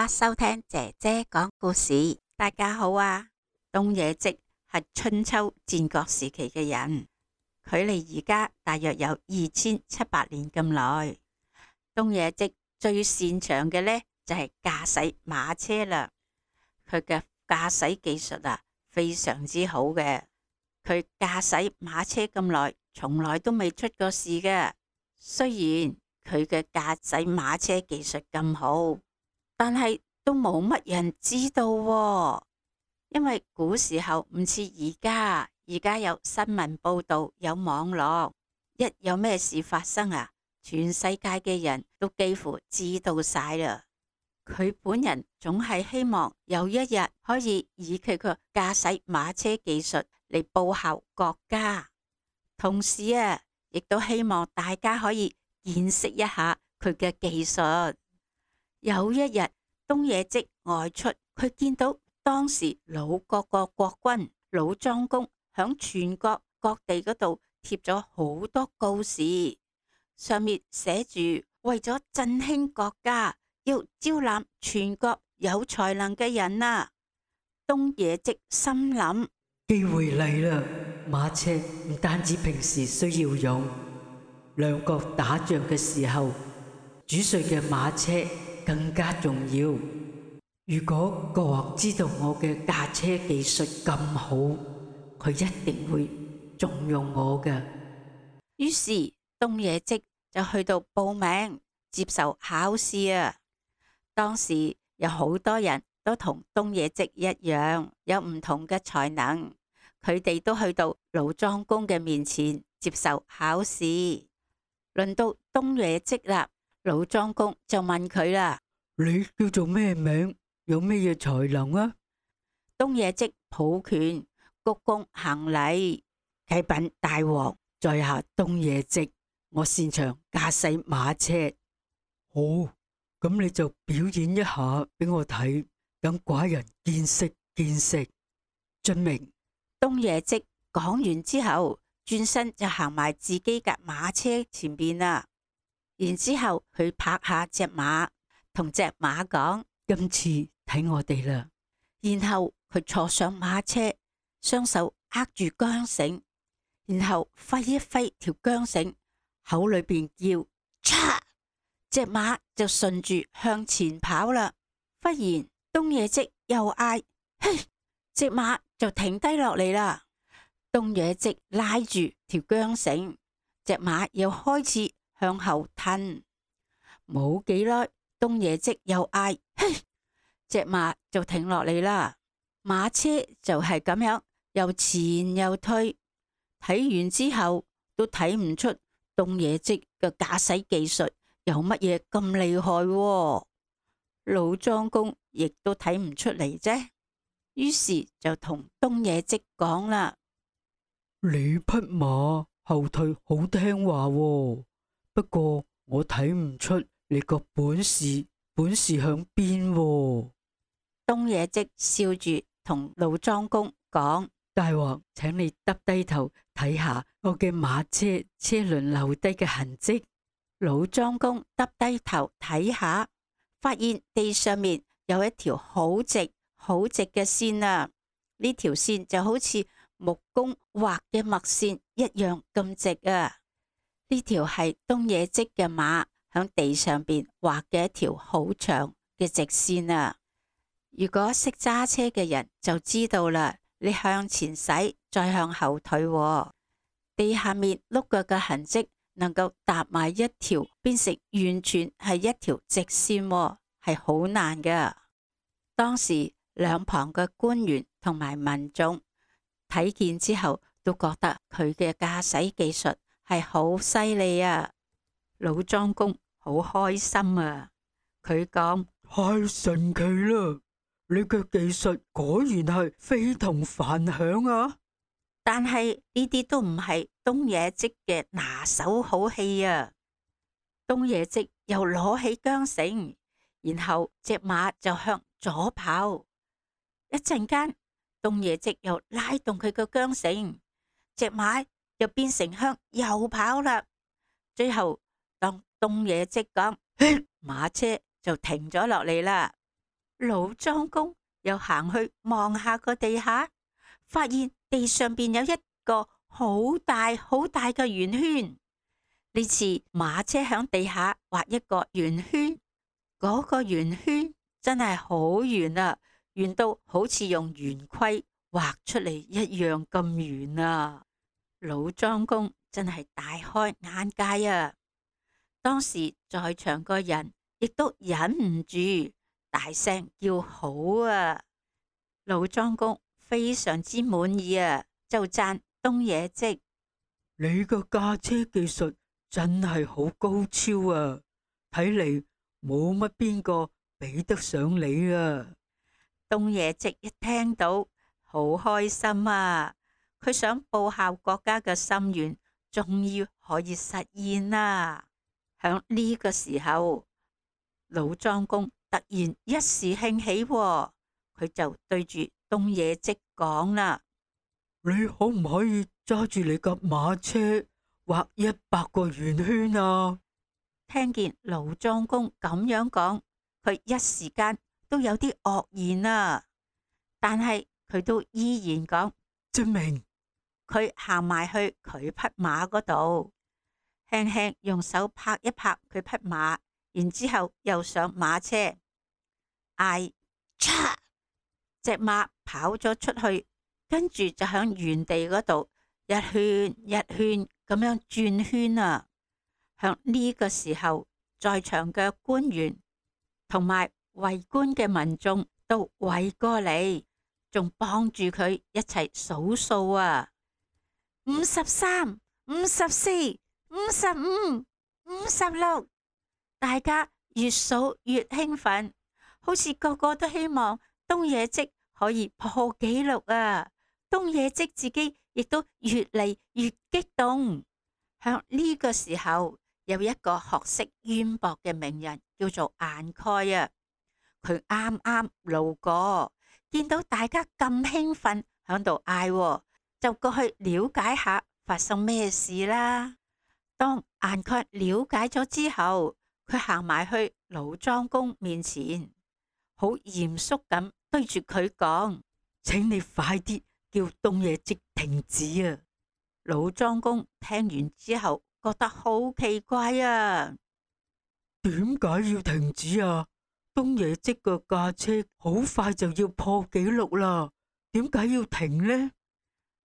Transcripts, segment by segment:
家收聽姐姐講故事。大家好啊！東野稷係春秋戰國時期嘅人，距離而家大約有2700年咁耐。東野稷最擅長嘅呢，就係駕駛馬車啦。佢嘅駕駛技術啊非常之好嘅。佢駕駛馬車咁耐，從來都未出過事嘅。雖然佢嘅駕駛馬車技術咁好，但係都冇乜人知道喎，因為古時候唔似而家有新聞報道，有網絡，一有咩事發生啊，全世界嘅人都幾乎知道晒啦。佢本人總係希望有一日可以以佢個駕駛馬車技術嚟報效國家，同時啊，亦都希望大家可以見識一下佢嘅技術。有一日，東野稷外出，佢見到當時魯國個國君魯莊公響全國各地嗰度貼咗好多告示，上面寫住為咗振興國家，要招攬全國有才能嘅人啊。東野稷心諗，機會嚟啦！馬車唔單止平時需要用，兩國打仗嘅時候，主帥嘅馬車更加重要。如果國王知道我嘅駕車技術咁好，佢一定會重用我嘅。於是東野稷就去到報名接受考試啊。當時有好多人都同東野稷一樣，有唔同嘅才能，佢哋都去到魯莊公嘅面前接受考試。輪到東野稷啦，魯莊公就問佢啦：你叫做咩名？有咩嘢才能啊？東野稷抱拳鞠躬行禮，啟稟大王，在下東野稷，我擅長駕駛馬車。好，咁你就表演一下俾我睇，等寡人見識見識。遵命。東野稷講完之後，轉身就行埋自己架馬車前邊啦。然之後佢拍下隻馬，同隻馬講：今次睇我哋啦。然後佢坐上馬車，雙手握住韁繩，然後揮一揮條韁繩，口裏邊叫嚓，隻馬就順住向前跑啦。忽然東野稷又嗌：嘿！隻馬就停低落嚟啦。東野稷拉住條韁繩，隻馬又開始向後褪。冇幾耐，東野稷又嗌：嘿！隻馬就停落嚟啦。馬車就係咁樣又前又退，睇完之後都睇唔出東野稷嘅駕駛技術有乜嘢咁厲害喎。魯莊公亦都睇唔出嚟啫。於是就同東野稷講啦：你匹馬後退好聽話喎，不過我睇唔出你個本事響邊喎。東野稷笑住同魯莊公講：大王，請你耷低頭睇下我嘅馬車車輪留低嘅痕跡。魯莊公耷低頭睇下，發現地上面有一條好直嘅線啊！呢條線就好似木工畫嘅墨線一樣咁直啊！呢條係東野稷嘅馬響地上邊畫嘅一條好長嘅直線啊！如果識揸車嘅人就知道啦，你向前駛，再向後退喎，地下面碌腳嘅痕跡能夠搭埋一條，變成完全係一條直線喎，係好難噶。當時兩旁嘅官員同埋民眾睇見之後，都覺得佢嘅駕駛技術係好犀利啊！魯莊公好開心啊！佢講：太神奇啦！你嘅技術果然係非同凡響啊！但係呢啲都唔係東野稷嘅拿手好戲啊！東野稷又攞起韁繩，然後隻馬就向左跑。一陣間，東野稷又拉動佢個韁繩，隻馬又變成向右跑啦。最後，當東野稷講，馬車就停咗落嚟啦。老莊公又行去望下個地下，發現地上邊有一個好大好大嘅圓圈。呢次馬車響地下畫一個圓圈，嗰個圓圈真係好圓啊，圓到好似用圓規畫出嚟一樣咁圓啊！老莊公真係大開眼界啊！當時在場個人亦都忍唔住大聲叫好啊！老莊公非常之滿意啊，就讚東野稷：你個駕車技術真係好高超啊！睇嚟冇乜邊個比得上你啊！東野稷一聽到好開心啊！佢想報效國家嘅心願，終於可以實現啦！響呢個時候，老莊公突然一時興起喎，佢就對住東野稷講啦：你可唔可以揸住你架馬車畫100個圓圈啊？聽見老莊公咁樣講，佢一時間都有啲愕然啊！但係佢都依然講：證明。佢行埋去佢匹馬嗰度，輕輕用手拍一拍佢匹馬，然之後又上馬車，嗌嚓，隻馬跑咗出去，跟住就響原地嗰度一圈一圈咁樣轉圈啊！響呢個時候，在場嘅官員同埋圍觀嘅民眾都圍過嚟，仲幫住佢一齊數數啊！53、54、55、56，大家越數越興奮，好似個個都希望東野稷可以破紀錄啊！東野稷自己亦都越嚟越激動。向呢個時候，有一個學識淵博嘅名人叫做顏蓋啊，佢啱啱路過，見到大家咁興奮響度嗌，就過去了解下發生咩事啦。當顏蓋了解咗之後，佢行埋去老莊公面前，好嚴肅咁對住佢講：請你快啲叫東野稷停止啊！老莊公聽完之後覺得好奇怪啊，點解要停止啊？東野稷個駕車好快就要破紀錄啦，點解要停呢？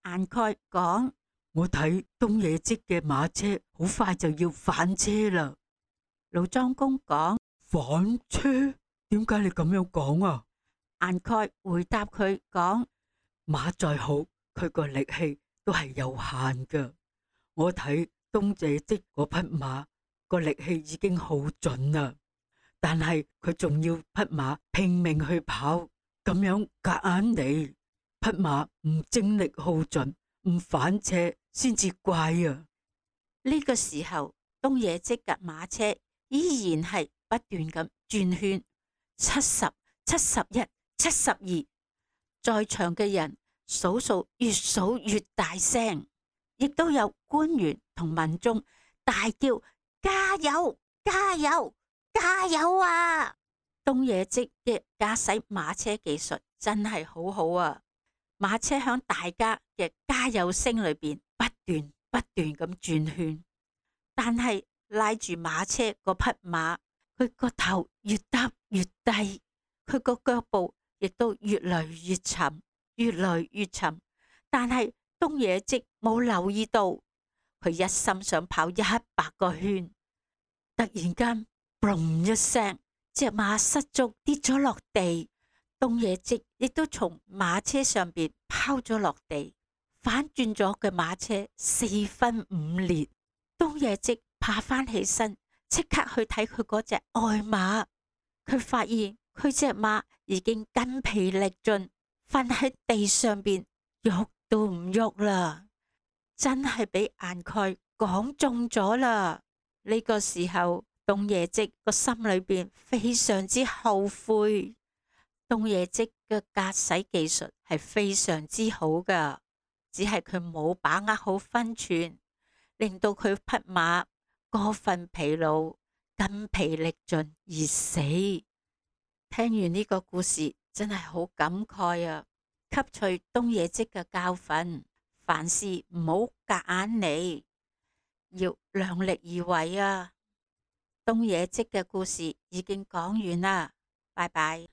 顏蓋講：我睇東野稷嘅馬車好快就要翻車啦。老莊公講：翻車？點解你咁樣講啊？顏蓋回答佢講：馬再好，佢個力氣都係有限噶。我睇東野稷嗰匹馬個力氣已經好盡啦，但係佢仲要匹馬拼命去跑，咁樣夾硬嚟，匹馬唔精力耗盡，唔反車先至怪啊！呢個時候，東野稷嘅馬車依然係不斷咁轉圈，70、71、72，在場嘅人數數越數越大聲，亦都有官員同民眾大叫：加油！加油！加油啊！東野稷嘅駕駛馬車技術真係好好啊！馬車響大家嘅加油聲裏邊不斷咁轉圈，但係拉住馬車嗰匹馬，佢個頭越耷越低，佢個腳步亦都越嚟越沉，越嚟越沉。但係東野稷冇留意到，佢一心想跑100個圈，突然間嘣一聲，隻馬失足跌咗落地，東野稷亦都從馬車上邊拋咗落地，反轉咗嘅馬車4分5裂。東野稷爬翻起身，即刻去睇佢嗰隻愛馬，佢發現佢隻馬已經筋疲力盡，瞓喺地上邊喐都唔喐啦，真係俾顏蓋講中咗啦！呢個時候，東野稷個心裏邊非常之後悔。東野稷嘅駕駛技術係非常之好噶，只係佢冇把握好分寸，令到佢匹馬過分疲勞，筋疲力盡而死。聽完呢個故事真係好感慨啊！吸取東野稷嘅教訓，凡事唔好夾硬嚟，要量力而為啊！東野稷嘅故事已經講完啦，拜拜。